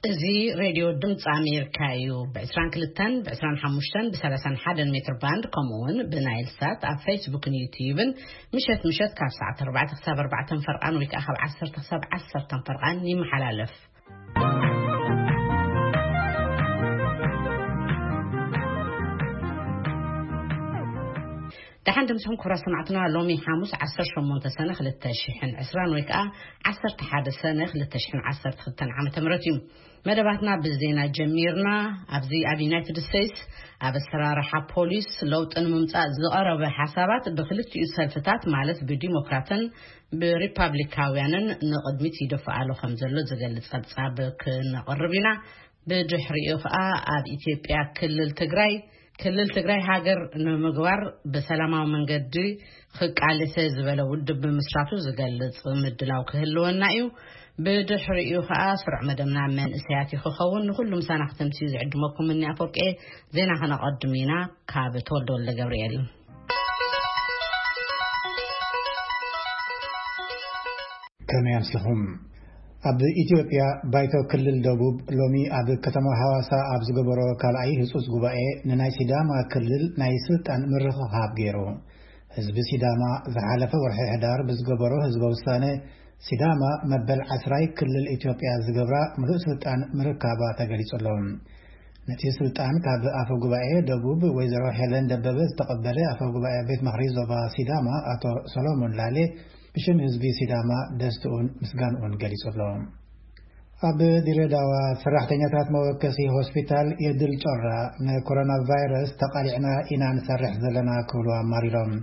እዚ ሬድዮ ድምፂ ኣሜሪካ እዩ። ብ22፣ ብ25፣ ብ31 ሜትር ባንድ፣ ከምኡ እውን ብናይል ሳት ኣብ ፌስቡክን ዩትዩብን ምሸት ምሸት ካብ ሰዓት ኣርባዕተ ክሳብ ኣርባዕተ ፈርቓን ወይ ከዓ ካብ ዓሰርተ ክሳብ ዓሰርተ ፈርቓን ይመሓላለፍ። ደሓን ድምፅኹም ክቡራት ሰማዕትና። ሎሚ ሓሙስ ዓሰርተ ሸሞንተ ሰነ ክልተ ሽሕን ዕስራን ወይ ከዓ ዓሰርተ ሓደ ሰነ ክልተ ሽሕን ዓሰርተ ክልተን ዓመተ ምህረት እዩ። መደባትና ብዜና ጀሚርና። ኣብዚ ኣብ ዩናይትድ ስቴትስ ኣብ ኣሰራርሓ ፖሊስ ለውጢ ንምምፃእ ዝቐረበ ሓሳባት ብክልቲኡ ሰልፍታት ማለት ብዲሞክራትን ብሪፓብሊካውያንን ንቕድሚት ይደፍኣሉ ከም ዘሎ ዝገልጽ ጸብጻብ ክነቕርብ ኢና። ብድሕሪኡ ኸኣ ኣብ ኢትዮጵያ ክልል ትግራይ፣ ክልል ትግራይ ሃገር ንምግባር ብሰላማዊ መንገዲ ክቃለሰ ዝበለ ውድብ ብምስራቱ ዝገልጽ ምድላው ክህልወና እዩ። ብድሕሪኡ ኸኣ ስሩዕ መደብና መንእሰያት እዩ ክኸውን። ንኹሉ ምሳና ክትምስዩ ዝዕድመኩም እኒ ኣፈወርቂ። ዜና ከነቐድም ኢና። ካብ ተወልደ ወልደ ገብርኤል። ከመይ ኣምሲኹም? ኣብ ኢትዮጵያ ባይቶ ክልል ደቡብ ሎሚ ኣብ ከተማ ሃዋሳ ኣብ ዝገበሮ ካልኣይ ህጹጽ ጉባኤ ንናይ ሲዳማ ክልል ናይ ስልጣን ምርኽኻብ ገይሩ። ህዝቢ ሲዳማ ዝሓለፈ ወርሒ ሕዳር ብዝገበሮ ህዝበ ውሳነ ሲዳማ መበል ዓስራይ ክልል ኢትዮጵያ ዝገብራ ምሉእ ስልጣን ምርካባ ተገሊጹ ኣሎ። ነቲ ስልጣን ካብ ኣፈ ጉባኤ ደቡብ ወይዘሮ ሄለን ደበበ ዝተቐበለ ኣፈ ጉባኤ ቤት ምኽሪ ዞባ ሲዳማ ኣቶ ሰሎሞን ላሌ ብሽም ህዝቢ ሲዳማ ደስትኡን ምስጋንኡን ገሊጹ ኣሎ። ኣብ ድሬዳዋ ሰራሕተኛታት መወከሲ ሆስፒታል የድል ጮራ ንኮሮና ቫይረስ ተቓሊዕና ኢና ንሰርሕ ዘለና ክብሉ ኣማሪሮም።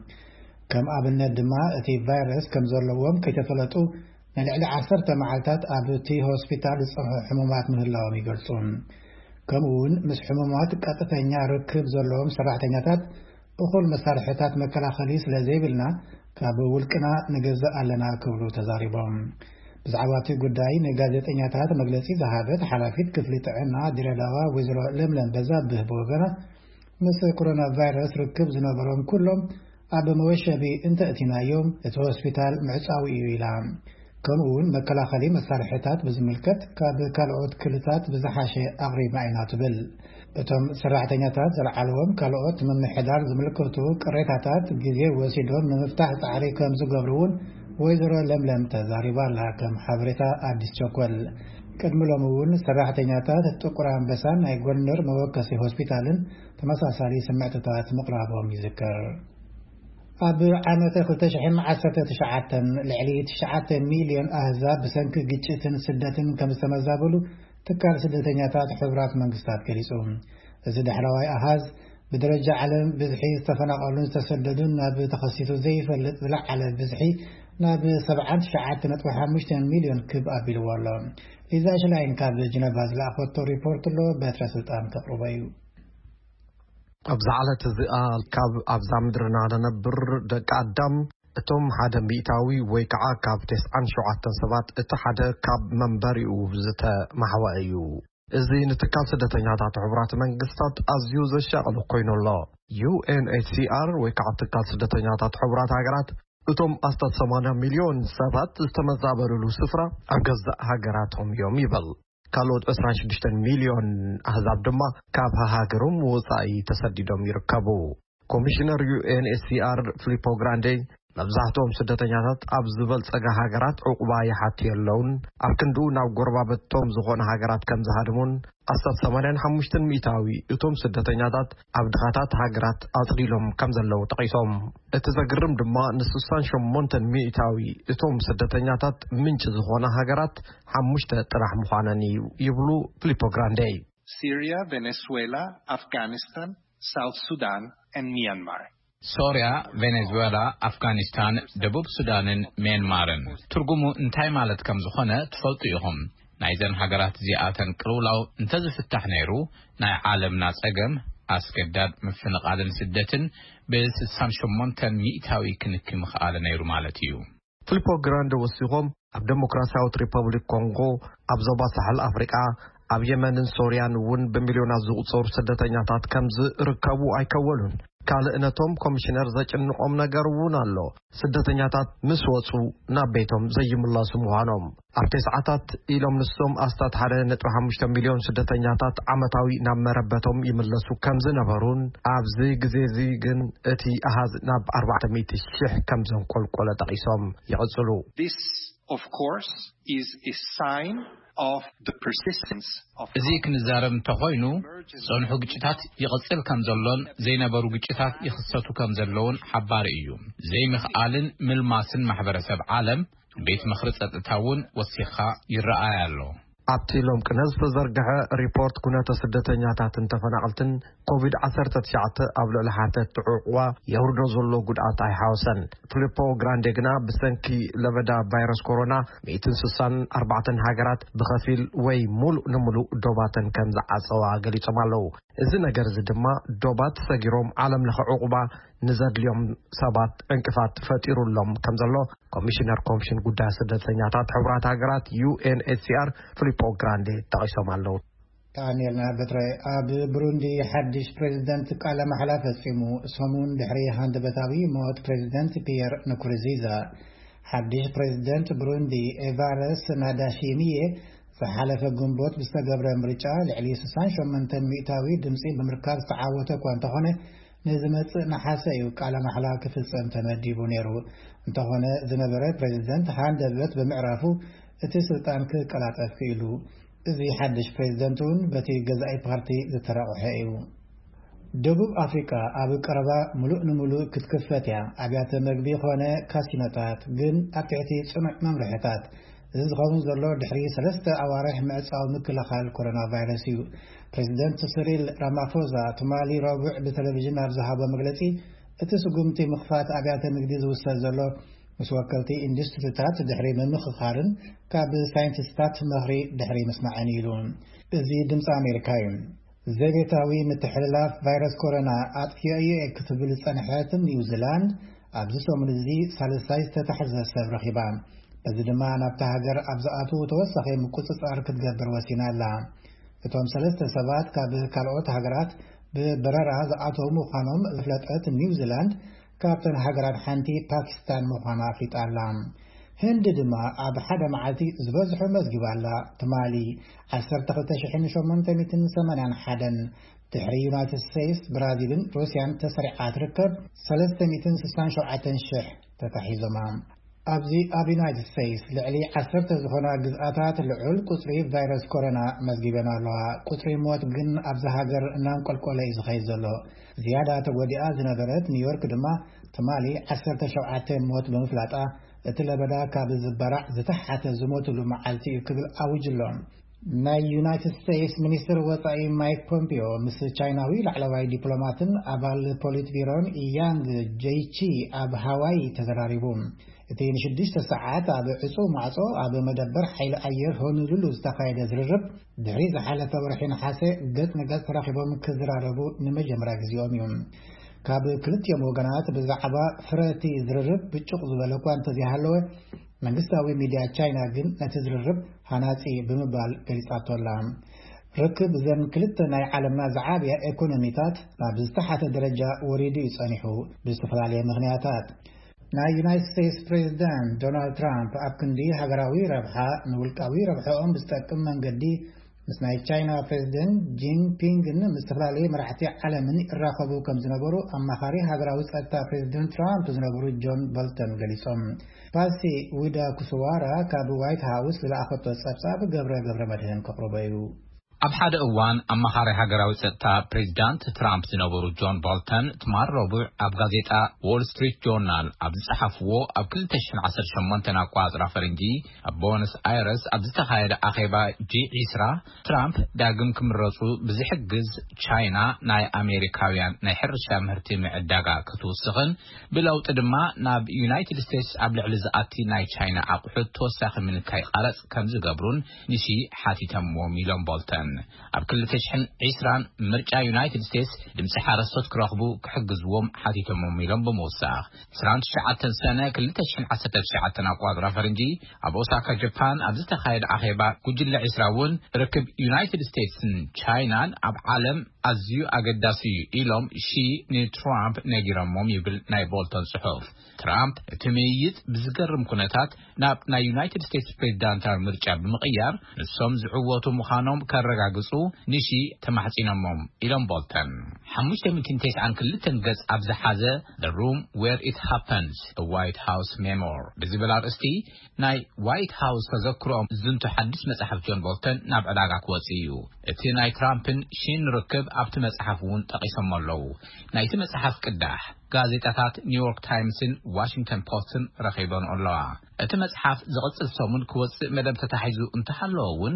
ከም ኣብነት ድማ እቲ ቫይረስ ከም ዘለዎም ከይተፈለጡ ንልዕሊ ዓሰርተ መዓልታት ኣብ እቲ ሆስፒታል ዝጸንሑ ሕሙማት ምህላዎም ይገልጹ። ከምኡ እውን ምስ ሕሙማት ቀጥተኛ ርክብ ዘለዎም ሰራሕተኛታት እኹል መሳርሕታት መከላኸሊ ስለ ዘይብልና ካብ ውልቅና ንገዝእ ኣለና ክብሉ ተዛሪቦም። ብዛዕባ እቲ ጉዳይ ንጋዜጠኛታት መግለጺ ዝሃበት ሓላፊት ክፍሊ ጥዕና ድሬዳዋ ወይዘሮ ለምለም በዛብህ ብወገና ምስ ኮሮና ቫይረስ ርክብ ዝነበሮም ኩሎም ኣብ መወሸቢ እንተእቲናዮም እቲ ሆስፒታል ምዕጻዊ እዩ ኢላ። ከምኡ እውን መከላኸሊ መሳርሕታት ብዝምልከት ካብ ካልኦት ክልታት ብዝሓሸ ኣቕሪብና ኢና ትብል። እቶም ሰራሕተኛታት ዘልዓልዎም ካልኦት ምምሕዳር ዝምልከቱ ቅሬታታት ግዜ ወሲዶም ንምፍታሕ ጻዕሪ ከም ዝገብሩ እውን ወይዘሮ ለምለም ተዛሪባ ኣላ። ከም ሓበሬታ ኣዲስ ቸኮል ቅድሚ ሎሚ እውን ሰራሕተኛታት ጥቁር ኣንበሳን ናይ ጎንደር መወከሲ ሆስፒታልን ተመሳሳሊ ስምዕትታት ምቕራቦም ይዝከር። ኣብ ዓመተ ክልተ ሽሕን ዓሰርተ ትሽዓተን ልዕሊ ትሽዓተ ሚልዮን ኣህዛብ ብሰንኪ ግጭትን ስደትን ከም ዝተመዛበሉ ትካል ስደተኛታት ሕቡራት መንግስታት ገሊጹ። እዚ ዳሕረዋይ ኣሃዝ ብደረጃ ዓለም ብዝሒ ዝተፈናቐሉን ዝተሰደዱን ናብ ተኸሲቱ ዘይፈልጥ ዝለዓለ ብዝሒ ናብ ሰብዓን ትሽዓተ ነጥቢ ሓሙሽተ ሚልዮን ክብ ኣቢልዎ ኣሎ። ሊዛ ሽላይን ካብ ጅነቫ ዝለኣኸቶ ሪፖርት ኣሎ፣ በትረ ስልጣን ከቕርቦ እዩ። ኣብዛ ዕለት እዚኣ ካብ ኣብዛ ምድርና ንነብር ደቂ ኣዳም እቶም ሓደ ሚእታዊ ወይ ከዓ ካብ ተስዓን ሸውዓተን ሰባት እቲ ሓደ ካብ መንበሪኡ ዝተማሕወ እዩ። እዚ ንትካል ስደተኛታት ሕቡራት መንግስታት ኣዝዩ ዘሻቕል ኮይኑ ኣሎ። ዩ ኤን ኤች ሲ ኣር ወይ ከዓ ትካል ስደተኛታት ሕቡራት ሃገራት እቶም ኣስታት ሰማንያ ሚልዮን ሰባት ዝተመዛበሉሉ ስፍራ ኣብ ገዛእ ሃገራቶም እዮም ይብል። ካልኦት ዕስራን ሽዱሽተን ሚልዮን ኣህዛብ ድማ ካብ ሃገሮም ወጻኢ ተሰዲዶም ይርከቡ። ኮሚሽነር ዩ ኤን ኤች ሲ ኣር ፊሊፖ ግራንዴ መብዛሕትኦም ስደተኛታት ኣብ ዝበልጸጋ ሃገራት ዕቑባ ይሓቱ የለውን፣ ኣብ ክንድኡ ናብ ጎረባብቶም ዝኾነ ሃገራት ከም ዝሃድሙን ኣስታት ሰማንያን ሓሙሽተን ሚእታዊ እቶም ስደተኛታት ኣብ ድኻታት ሃገራት ኣጽሊሎም ከም ዘለዉ ጠቒሶም። እቲ ዘግርም ድማ ንስሳን ሸሞንተን ሚእታዊ እቶም ስደተኛታት ምንጪ ዝኾነ ሃገራት ሓሙሽተ ጥራሕ ምዃነን እዩ ይብሉ ፊሊፖ ግራንዴ። Syria, Venezuela, Afghanistan, South Sudan, and Myanmar. ሶርያ፣ ቬኔዙዌላ፣ ኣፍጋኒስታን፣ ደቡብ ሱዳንን ሜንማርን። ትርጉሙ እንታይ ማለት ከም ዝኾነ ትፈልጡ ኢኹም። ናይዘን ሃገራት እዚኣተን ቅልውላው እንተዝፍታሕ ነይሩ፣ ናይ ዓለምና ጸገም ኣስገዳድ ምፍንቓልን ስደትን ብስሳን ሸሞንተን ሚእታዊ ክንኪ ምኽኣለ ነይሩ ማለት እዩ። ፊሊፖ ግራንደ ወሲኾም፣ ኣብ ዴሞክራሲያዊት ሪፐብሊክ ኮንጎ፣ ኣብ ዞባ ሳሕል ኣፍሪቃ፣ ኣብ የመንን ሶርያን እውን ብሚልዮናት ዝቑጸሩ ስደተኛታት ከም ዝርከቡ ኣይከወሉን። ካልእ ነቶም ኮሚሽነር ዘጭንቖም ነገር እውን ኣሎ። ስደተኛታት ምስ ወጹ ናብ ቤቶም ዘይምለሱ ምዃኖም። ኣብ ተስዓታት ኢሎም ንሶም ኣስታት ሓደ ነጥቢ ሓሙሽተ ሚልዮን ስደተኛታት ዓመታዊ ናብ መረበቶም ይምለሱ ከም ዝነበሩን፣ ኣብዚ ግዜ እዚ ግን እቲ ኣሃዝ ናብ ኣርባዕተ ሚእቲ ሽሕ ከም ዘንቆልቆለ ጠቒሶም ይቕጽሉ። This, of course, is a sign of the persistence of እዚ ክንዛረብ እንተኾይኑ፣ ጸንሑ ግጭታት ይቕጽል ከም ዘሎን ዘይነበሩ ግጭታት ይኽሰቱ ከም ዘለውን ሓባሪ እዩ። ዘይምኽኣልን ምልማስን ማሕበረሰብ ዓለም፣ ቤት ምኽሪ ጸጥታ እውን ወሲኻ ይረኣይ ኣሎ። ኣብቲ ሎም ቅነ ዝተዘርግሐ ሪፖርት፣ ኩነተ ስደተኛታትን ተፈናቐልትን ኮቪድ ዓሰርተ ትሽዓተ ኣብ ልዕሊ ሓተቲ ዕቑባ የውርዶ ዘሎ ጉድኣት ኣይሓወሰን። ፊሊፖ ግራንዴ ግና፣ ብሰንኪ ለበዳ ቫይረስ ኮሮና፣ ሚእትን ስሳን ኣርባዕተን ሃገራት ብኸፊል ወይ ሙሉእ ንሙሉእ ዶባተን ከም ዝዓጸዋ ገሊጾም ኣለዉ። እዚ ነገር እዚ ድማ፣ ዶባት ሰጊሮም ዓለም ለኸ ዕቑባ ንዘድልዮም ሰባት ዕንቅፋት ፈጢሩሎም ከም ዘሎ፣ ኮሚሽነር ኮሚሽን ጉዳይ ስደተኛታት ሕቡራት ሃገራት፣ ዩ ኤን ኤች ሲ ኣር፣ ፊሊፖ ግራንዴ ጠቒሶም ኣለዉ። ዳንኤል ናበትረ። ኣብ ብሩንዲ ሓድሽ ፕሬዝደንት ቃለ ማሕላ ፈጺሙ፣ ሰሙን ድሕሪ ሃንደበታዊ ሞት ፕሬዝደንት ፒየር ንኩሩንዚዛ። ሓድሽ ፕሬዝደንት ብሩንዲ፣ ኤቫረስ ናዳሺሚየ፣ ዝሓለፈ ግንቦት ብዝተገብረ ምርጫ ልዕሊ ስሳን ሸሞንተን ሚእታዊ ድምጺ ብምርካብ ዝተዓወተ እኳ እንተኾነ፣ ንዝመጽእ ነሓሰ እዩ ቃለ ማሕላ ክፍጸም ተመዲቡ ነይሩ። እንተኾነ፣ ዝነበረ ፕሬዝደንት ሃንደበት ብምዕራፉ፣ እቲ ስልጣን ክቀላጠፍ ክኢሉ። እዚ ሓድሽ ፕሬዝደንት እውን በቲ ገዛኢ ፓርቲ ዝተረቑሐ እዩ። ደቡብ ኣፍሪቃ ኣብ ቀረባ ምሉእ ንምሉእ ክትክፈት እያ። ኣብያተ መግቢ ኾነ ካሲኖታት ግን ኣብ ትሕቲ ጽኑዕ መምርሕታት። እዚ ዝኸውን ዘሎ ድሕሪ ሰለስተ ኣዋርሕ ምዕጻው ምክልኻል ኮሮና ቫይረስ እዩ። ፕሬዚደንት ስሪል ራማፎዛ ትማሊ ረቡዕ ብቴሌቪዥን ኣብ ዝሃቦ መግለጺ፣ እቲ ስጉምቲ ምኽፋት ኣብያተ ንግዲ ዝውሰድ ዘሎ ምስ ወከልቲ ኢንዱስትሪታት ድሕሪ ምምኽኻርን ካብ ሳይንቲስታት ምኽሪ ድሕሪ ምስማዕን እዩ ኢሉ። እዚ ድምፂ ኣሜሪካ እዩ። ዘቤታዊ ምትሕልላፍ ቫይረስ ኮሮና ኣጥፊኦ እየ ክትብል ዝጸንሐት ኒውዚላንድ፣ ኣብዚ ሰሙን እዚ ሳልሳይ ዝተታሕዘ ሰብ ረኺባ። በዚ ድማ ናብታ ሃገር ኣብ ዝኣትዉ ተወሳኺ ምቁጽጻር ክትገብር ወሲና ኣላ። እቶም ሰለስተ ሰባት ካብ ካልኦት ሃገራት ብበረራ ዝኣተዉ ምዃኖም ዝፍለጠት ኒውዚላንድ፣ ካብተን ሃገራት ሓንቲ ፓኪስታን ምዃና ኣፍሊጣ ኣላ። ህንዲ ድማ ኣብ ሓደ መዓልቲ ዝበዝሑ መዝጊባ ኣላ። ትማሊ ዓሰርተ ክልተ ሽሕን ሸሞንተ ሚእትን ሰማንያን ሓደን፣ ድሕሪ ዩናይትድ ስቴትስ፣ ብራዚልን ሩስያን ተሰሪዓ ትርከብ፣ ሰለስተ ሚእትን ስሳን ሸውዓተን ሽሕ ተታሒዞማ። ኣብዚ ኣብ ዩናይትድ ስቴትስ ልዕሊ ዓሰርተ ዝኾና ግዝኣታት ልዑል ቁጽሪ ቫይረስ ኮሮና መዝጊበን ኣለዋ። ቁጽሪ ሞት ግን ኣብዛ ሃገር እናንቆልቆለ እዩ ዝኸይድ ዘሎ። ዝያዳ ተጎዲኣ ዝነበረት ኒውዮርክ ድማ ትማሊ ዓሰርተ ሸውዓተ ሞት ብምፍላጣ፣ እቲ ለበዳ ካብ ዝበራዕ ዝተሓተ ዝሞትሉ መዓልቲ እዩ ክብል ኣዊጁ ኣሎ። ናይ ዩናይትድ ስቴትስ ሚኒስትር ወጻኢ ማይክ ፖምፒዮ ምስ ቻይናዊ ላዕለዋይ ዲፕሎማትን ኣባል ፖሊት ቢሮን ያንግ ጄይቺ ኣብ ሃዋይ ተዘራሪቡ። እቲ ንሽዱሽተ ሰዓት ኣብ ዕጹው ማዕጾ ኣብ መደበር ሓይሊ ኣየር ሆኑሉሉ ዝተኻየደ ዝርርብ፣ ድሕሪ ዝሓለፈ ወርሒ ነሓሰ ገጽ ንገጽ ተራኺቦም ክዘራረቡ ንመጀመርያ ግዜኦም እዩ። ካብ ክልቲኦም ወገናት ብዛዕባ ፍረ እቲ ዝርርብ ብጩቕ ዝበለ እኳ እንተዘይሃለወ፣ መንግስታዊ ሚድያ ቻይና ግን ነቲ ዝርርብ ሃናጺ ብምባል ገሊጻቶ ኣላ። ርክብ እዘን ክልተ ናይ ዓለምና ዝዓብያ ኤኮኖሚታት ናብ ዝተሓተ ደረጃ ወሪዱ እዩ ጸኒሑ፣ ብዝተፈላለየ ምኽንያታት። ናይ ዩናይትድ ስቴትስ ፕሬዚዳንት ዶናልድ ትራምፕ ኣብ ክንዲ ሃገራዊ ረብሓ፣ ንውልቃዊ ረብሓኦም ብዝጠቅም መንገዲ ምስ ናይ ቻይና ፕሬዚደንት ጂንፒንግን ምስ ዝተፈላለዩ መራሕቲ ዓለምን ይራኸቡ ከም ዝነበሩ ኣማኻሪ ሃገራዊ ጸጥታ ፕሬዚደንት ትራምፕ ዝነበሩ ጆን ቦልተን ገሊጾም። ፓሲ ዊዳ ኩስዋራ ካብ ዋይት ሃውስ ዝለኣኸቶ ጸብጻብ ገብረ ገብረ መድህን ከቕርቦ እዩ። ኣብ ሓደ እዋን ኣማኻሪ ሃገራዊ ጸጥታ ፕሬዚዳንት ትራምፕ ዝነበሩ ጆን ቦልተን ትማል ረቡዕ ኣብ ጋዜጣ ዎል ስትሪት ጆርናል ኣብ ዝጸሓፍዎ፣ ኣብ ክልተ ሽሕን ዓሰርተ ሸሞንተን ኣቋጽራ ፈረንጂ ኣብ ቦነስ ኣይረስ ኣብ ዝተኻየደ ኣኼባ ጂ ዒስራ፣ ትራምፕ ዳግም ክምረጹ ብዝሕግዝ ቻይና ናይ ኣሜሪካውያን ናይ ሕርሻ ምህርቲ ምዕዳጋ ክትውስኽን፣ ብለውጢ ድማ ናብ ዩናይትድ ስቴትስ ኣብ ልዕሊ ዝኣቲ ናይ ቻይና ኣቑሑት ተወሳኺ ምንካይ ቃረጽ ከም ዝገብሩን ንሺ ሓቲተምዎም ኢሎም ቦልተን። ኣብ ክልተ ሽሕን ዕስራን ምርጫ ዩናይትድ ስቴትስ ድምፂ ሓረስቶት ክረኽቡ ክሕግዝዎም ሓቲቶሞም ኢሎም ብምውሳኽ፣ ዕስራን ትሽዓተን ሰነ ክልተ ሽሕን ዓሰርተ ትሽዓተን ኣቋፅራ ፈረንጂ ኣብ ኦሳካ ጃፓን ኣብ ዝተኻየደ ኣኼባ ጉጅለ ዕስራ እውን ርክብ ዩናይትድ ስቴትስን ቻይናን ኣብ ዓለም ኣዝዩ ኣገዳሲ እዩ ኢሎም ሺ ንትራምፕ ነጊሮሞም ይብል ናይ ቦልተን ጽሑፍ። ትራምፕ እቲ ምይይጥ ብዝገርም ኩነታት ናብ ናይ ዩናይትድ ስቴትስ ፕሬዚዳንታዊ ምርጫ ብምቕያር ንሶም ዝዕወቱ ምዃኖም ከረጋግጹ ንሺ ተማሕጺኖሞም ኢሎም ቦልተን። ሓሙሽተ ሚእትን ተስዓን ክልተን ገጽ ኣብ ዝሓዘ The Room Where It Happens, A White House Memoir ብዝብል ኣርእስቲ ናይ ዋይት ሃውስ ተዘክሮኦም ዝንቱ ሓድሽ መጽሓፍ ጆን ቦልተን ናብ ዕዳጋ ክወጽእ እዩ። እቲ ናይ ትራምፕን ሺን ርክብ ኣብቲ መጽሓፍ እውን ጠቒሶም ኣለዉ። ናይቲ መጽሓፍ ቅዳሕ ጋዜጣታት ኒውዮርክ ታይምስን ዋሽንግተን ፖስትን ረኺበን ኣለዋ። እቲ መጽሓፍ ዝቕጽል ሰሙን ክወጽእ መደብ ተታሒዙ እንተሃለወ እውን፣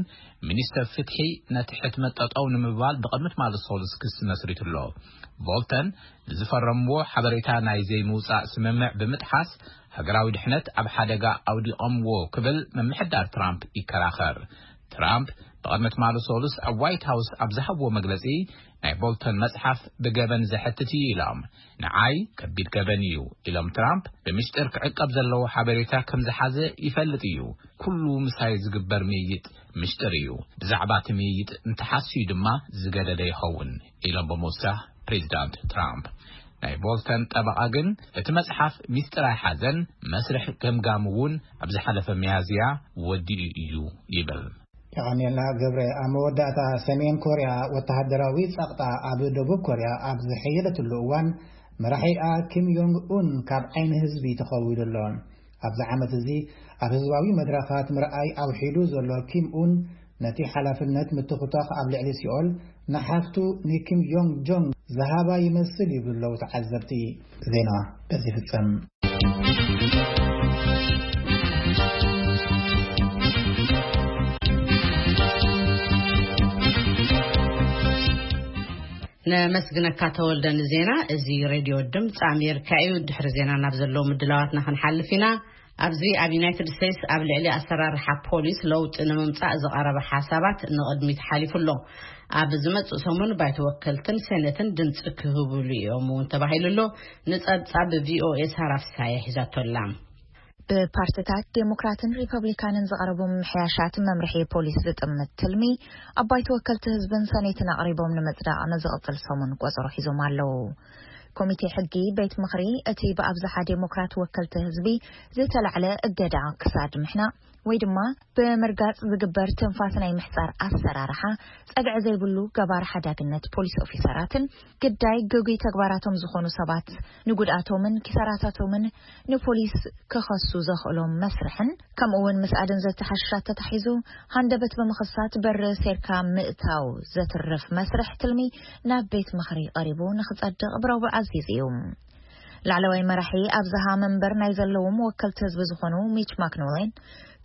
ሚኒስተር ፍትሒ ነቲ ሕትመት ጠጠው ንምባል ብቕድሚ ትማሊ ሰሉስ ክሲ መስሪቱ ኣሎ። ቦልተን ንዝፈረምዎ ሓበሬታ ናይ ዘይምውጻእ ስምምዕ ብምጥሓስ፣ ሃገራዊ ድሕነት ኣብ ሓደጋ ኣውዲቖምዎ ክብል ምምሕዳር ትራምፕ ይከራኸር። ትራምፕ ብቕድሚ ትማሊ ሰሉስ ኣብ ዋይት ሃውስ ኣብ ዝሃብዎ መግለጺ፣ ናይ ቦልተን መጽሓፍ ብገበን ዘሕትት እዩ ኢሎም። ንዓይ ከቢድ ገበን እዩ ኢሎም ትራምፕ፣ ብምስጢር ክዕቀብ ዘለዎ ሓበሬታ ከም ዝሓዘ ይፈልጥ እዩ። ኩሉ ምሳይ ዝግበር ምይይጥ ምስጢር እዩ። ብዛዕባ እቲ ምይይጥ እንተሓስዩ ድማ ዝገደደ ይኸውን ኢሎም ብምውሳኽ ፕሬዚዳንት ትራምፕ። ናይ ቦልተን ጠበቓ ግን እቲ መጽሓፍ ሚስጥር ኣይሓዘን፣ መስርሕ ገምጋም እውን ኣብ ዝሓለፈ ሚያዝያ ወዲኡ እዩ ይብል። የቐንየልና ገብረ። ኣብ መወዳእታ፣ ሰሜን ኮርያ ወተሃደራዊ ጸቕጣ ኣብ ደቡብ ኮርያ ኣብ ዝሐየለትሉ እዋን፣ መራሒኣ ኪም ዮንግ ኡን ካብ ዓይኒ ህዝቢ ተኸዊሉ ኣሎ። ኣብዚ ዓመት እዚ ኣብ ህዝባዊ መድረኻት ምርኣይ ኣውሒዱ ዘሎ ኪም ኡን፣ ነቲ ሓላፍነት ምትኹታኽ ኣብ ልዕሊ ሲኦል ንሓፍቱ ንኪም ዮንግ ጆንግ ዝሃባ ይመስል ይብሉ ኣለዉ ተዓዘብቲ። ዜና በዚ ይፍጸም። ነመስግነካ ተወልደ ንዜና። እዚ ሬድዮ ድምፂ ኣሜሪካ እዩ። ድሕሪ ዜና ናብ ዘለዉ ምድላዋትና ክንሓልፍ ኢና። ኣብዚ ኣብ ዩናይትድ ስቴትስ ኣብ ልዕሊ ኣሰራርሓ ፖሊስ ለውጢ ንምምፃእ ዝቐረበ ሓሳባት ንቕድሚት ሓሊፉ ኣሎ። ኣብ ዝመፅእ ሰሙን ባይቶ ወከልትን ሴኔትን ድምፂ ክህብሉ እዮም እውን ተባሂሉ ኣሎ። ንፀብፃብ ቪኦኤ ሳራ ፍሳየ ሒዛቶ ኣላ። ብፓርትታት ዴሞክራትን ሪፐብሊካንን ዝቐረቡ ምምሕያሻት መምርሒ ፖሊስ ዝጥምት ትልሚ፣ ኣብ ባይቶ ወከልቲ ህዝብን ሰኔትን ኣቕሪቦም ንምጽዳቕ ንዝቕጽል ሰሙን ቆጸሮ ሒዞም ኣለዉ። ኮሚቴ ሕጊ ቤት ምኽሪ፣ እቲ ብኣብዝሓ ዴሞክራት ወከልቲ ህዝቢ ዝተላዕለ እገዳ ክሳድ ምሕናቕ ወይ ድማ ብምርጋጽ ዝግበር ትንፋስ ናይ ምሕጻር ኣሰራርሓ፣ ጸግዒ ዘይብሉ ገባር ሓዳግነት ፖሊስ ኦፊሰራትን ግዳይ ግጉይ ተግባራቶም ዝኾኑ ሰባት ንጉድኣቶምን ኪሳራታቶምን ንፖሊስ ክኸሱ ዘኽእሎም መስርሕን፣ ከምኡ እውን ምስ ኣደንዘዝቲ ሓሽሻት ተታሒዙ ሃንደበት ብምኽሳት በሪ ሴርካ ምእታው ዘትርፍ መስርሕ ትልሚ ናብ ቤት ምኽሪ ቀሪቡ ንኽጸድቕ ብረቡዕ ኣዚዙ እዩ። ላዕለዋይ መራሒ ኣብዝሃ መንበር ናይ ዘለዎም ወከልቲ ህዝቢ ዝኾኑ ሚች ማክኖሌን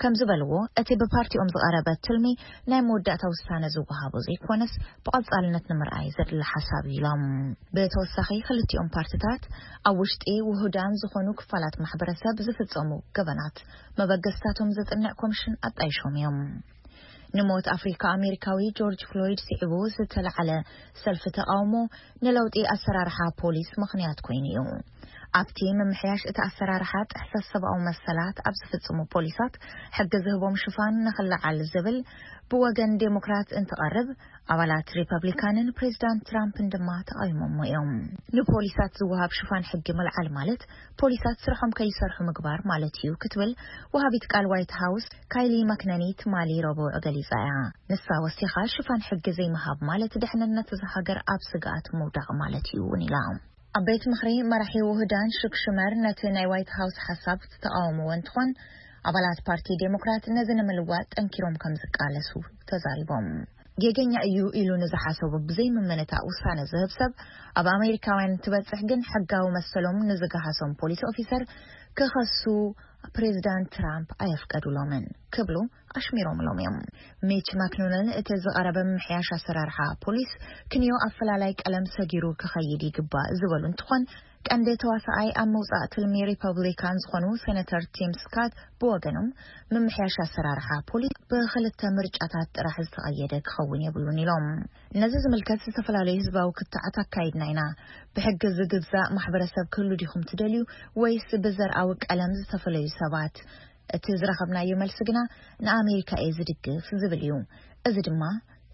ከም ዝበልዎ፣ እቲ ብፓርቲኦም ዝቐረበ ትልሚ ናይ መወዳእታ ውሳነ ዝወሃቦ ዘይኮነስ፣ ብቐጻልነት ንምርኣይ ዘድሊ ሓሳብ እዩ ኢሎም። ብተወሳኺ፣ ክልቲኦም ፓርትታት ኣብ ውሽጢ ውሁዳን ዝኾኑ ክፋላት ማሕበረሰብ ዝፍጸሙ ገበናት መበገስታቶም ዘጽንዕ ኮሚሽን ኣጣይሾም እዮም። ንሞት ኣፍሪካ ኣሜሪካዊ ጆርጅ ፍሎይድ ስዒቡ ዝተለዓለ ሰልፊ ተቃውሞ ንለውጢ ኣሰራርሓ ፖሊስ ምኽንያት ኮይኑ እዩ። ኣብቲ ምምሕያሽ እቲ ኣሰራርሓ ጥሕሰት ሰብኣዊ መሰላት ኣብ ዝፍጽሙ ፖሊሳት ሕጊ ዝህቦም ሽፋን ንኽለዓል ዝብል ብወገን ዴሞክራት እንትቐርብ፣ ኣባላት ሪፐብሊካንን ፕሬዚዳንት ትራምፕን ድማ ተቓዊሞሞ እዮም። ንፖሊሳት ዝወሃብ ሽፋን ሕጊ ምልዓል ማለት ፖሊሳት ስርሖም ከይሰርሑ ምግባር ማለት እዩ ክትብል ወሃቢት ቃል ዋይት ሃውስ ካይሊ ማክነኒ ትማሊ ረቡዕ ገሊጻ እያ። ንሳ ወሲኻ፣ ሽፋን ሕጊ ዘይምሃብ ማለት ደሕንነት እዛ ሃገር ኣብ ስግኣት ምውዳቕ ማለት እዩ እውን ኢላ። ኣብ ቤት ምኽሪ መራሒ ውህዳን ሹክ ሹመር ነቲ ናይ ዋይት ሃውስ ሓሳብ ዝተቃወምዎ እንትኾን፣ ኣባላት ፓርቲ ዴሞክራት ነዚ ንምልዋጥ ጠንኪሮም ከም ዝቃለሱ ተዛሪቦም። ጌገኛ እዩ ኢሉ ንዝሓሰቦ ብዘይምምንታእ ውሳነ ዝህብ ሰብ፣ ኣብ ኣሜሪካውያን እንትበጽሕ ግን ሕጋዊ መሰሎም ንዝገሃሶም ፖሊስ ኦፊሰር ክኸሱ ፕሬዚዳንት ትራምፕ ኣየፍቀዱሎምን ክብሉ ኣሽሚሮምሎም እዮም። ሚች ማክኖነል እቲ ዝቐረበ ምምሕያሽ ኣሰራርሓ ፖሊስ ክንዮ ኣፈላላይ ቀለም ሰጊሩ ክኸይድ ይግባእ ዝበሉ እንትኾን፣ ቀንዲ ተዋሳኣይ ኣብ ምውጻእ ትልሚ ሪፐብሊካን ዝኾኑ ሴነተር ቲም ስካት ብወገኖም፣ ምምሕያሽ ኣሰራርሓ ፖሊስ ብኽልተ ምርጫታት ጥራሕ ዝተቐየደ ክኸውን የብሉን ኢሎም። ነዚ ዝምልከት ዝተፈላለዩ ህዝባዊ ክትዓት ኣካይድና ኢና። ብሕጊ ዝግዛእ ማሕበረሰብ ክህሉ ዲኹም ትደልዩ፣ ወይስ ብዘርኣዊ ቀለም ዝተፈለዩ ሰባት? እቲ ዝረኸብናዮ መልሲ ግና ንኣሜሪካ እየ ዝድግፍ ዝብል እዩ። እዚ ድማ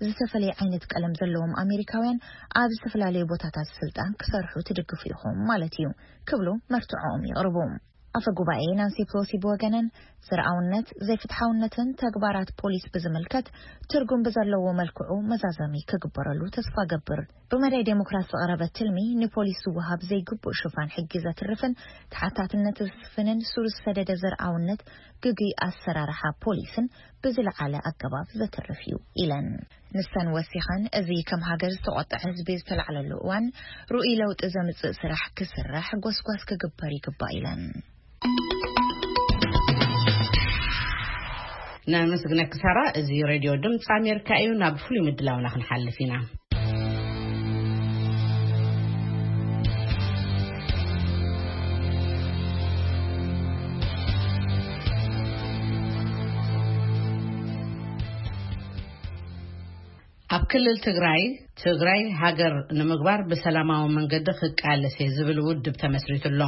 ዝተፈላለየ ዓይነት ቀለም ዘለዎም ኣሜሪካውያን ኣብ ዝተፈላለየ ቦታታት ስልጣን ክሰርሑ ትድግፉ ኢኹም ማለት እዩ ክብሉ መርትዖኦም የቕርቡ። ኣፈ ጉባኤ ናንሲ ፕሎሲ ብወገነን፣ ዘርኣውነት ዘይፍትሓውነትን ተግባራት ፖሊስ ብዝምልከት ትርጉም ብዘለዎ መልክዑ መዛዘሚ ክግበረሉ ተስፋ ገብር። ብመዳይ ዴሞክራት ዝቐረበ ትልሚ፣ ንፖሊስ ዝወሃብ ዘይግቡእ ሽፋን ሕጊ ዘትርፍን ተሓታትነት ዘስፍንን፣ ሱር ዝሰደደ ዘርኣውነት፣ ግጉይ ኣሰራርሓ ፖሊስን ብዝለዓለ ኣገባብ ዘትርፍ እዩ ኢለን። ንሰን ወሲኸን፣ እዚ ከም ሃገር ዝተቖጥዐ ህዝቢ ዝተላዕለሉ እዋን፣ ርኡይ ለውጢ ዘምጽእ ስራሕ ክስራሕ ጎስጓስ ክግበር ይግባእ ኢለን። ነመስግነኪ ሳራ። እዚ ሬድዮ ድምፂ ኣሜሪካ እዩ። ናብ ፍሉይ ምድላውና ክንሓልፍ ኢና። ኣብ ክልል ትግራይ፣ ትግራይ ሃገር ንምግባር ብሰላማዊ መንገዲ ክቃለስ እየ ዝብል ውድብ ተመስሪቱ ኣሎ።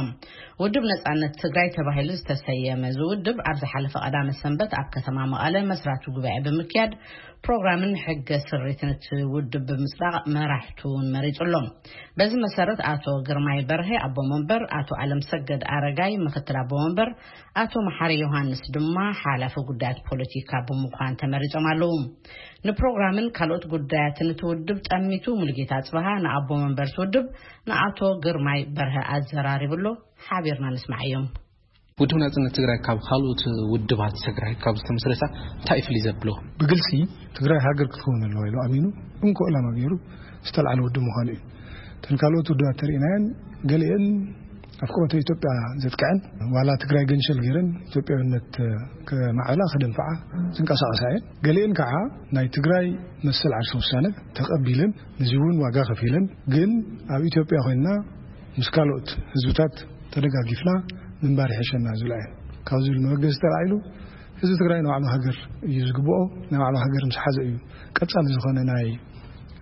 ውድብ ነጻነት ትግራይ ተባሂሉ ዝተሰየመ እዚ ውድብ፣ ኣብ ዝሓለፈ ቀዳመ ሰንበት ኣብ ከተማ መቐለ መስራቲ ጉባኤ ብምክያድ፣ ፕሮግራምን ሕገ ስሪትን እቲ ውድብ ብምጽዳቕ፣ መራሕቱ እውን መሪጹ ኣሎ። በዚ መሰረት፣ ኣቶ ግርማይ በርሀ ኣቦ መንበር፣ ኣቶ ኣለም ሰገድ ኣረጋይ ምክትል ኣቦ መንበር፣ ኣቶ መሓሪ ዮሃንስ ድማ ሓላፊ ጉዳያት ፖለቲካ ብምዃን ተመሪጾም ኣለዉ። ንፕሮግራምን ካልኦት ጉዳያትን እቲ ውድብ ጠሚቱ፣ ሙሉጌታ ኣጽብሃ ንኣቦ መንበር እቲ ውድብ ንኣቶ ግርማይ በርሀ ኣዘራሪቡ ኣሎ። ሓቢርና ንስማዓዮም። ውድብ ናጽነት ትግራይ ካብ ካልኦት ውድባት ትግራይ ካብ ዝተመስረታ እንታይ እዩ ፍልይ ዘብሎ? ብግልጺ ትግራይ ሃገር ክትከውን ኣለዋ ኢሉ ኣሚኑ፣ እንኮ ዕላማ ገይሩ ዝተልዓለ ውድብ ምዃኑ እዩ። እተን ካልኦት ውድባት ተርእናየን፣ ገሊአን ኣፍቅሮተ ኢትዮጵያ ዘጥቅዐን፣ ዋላ ትግራይ ገንሸል ገይረን ኢትዮጵያዊነት ከማዕብላ፣ ከደንፍዓ ዝንቀሳቐሳ እየን። ገሊአን ከዓ ናይ ትግራይ መሰል ዓርሰ ውሳነ ተቐቢለን፣ ንዚ እውን ዋጋ ከፊለን፣ ግን ኣብ ኢትዮጵያ ኮይንና ምስ ካልኦት ህዝብታት ተደጋጊፍና ምንባር ይሕሸና ዝብላ እየን። ካብ ዝብል መበገሲ ተላዒሉ፣ ህዝቢ ትግራይ ንባዕሉ ሃገር እዩ ዝግብኦ። ናይ ባዕሉ ሃገር ምስ ሓዘ እዩ ቀጻሊ ዝኾነ ናይ፣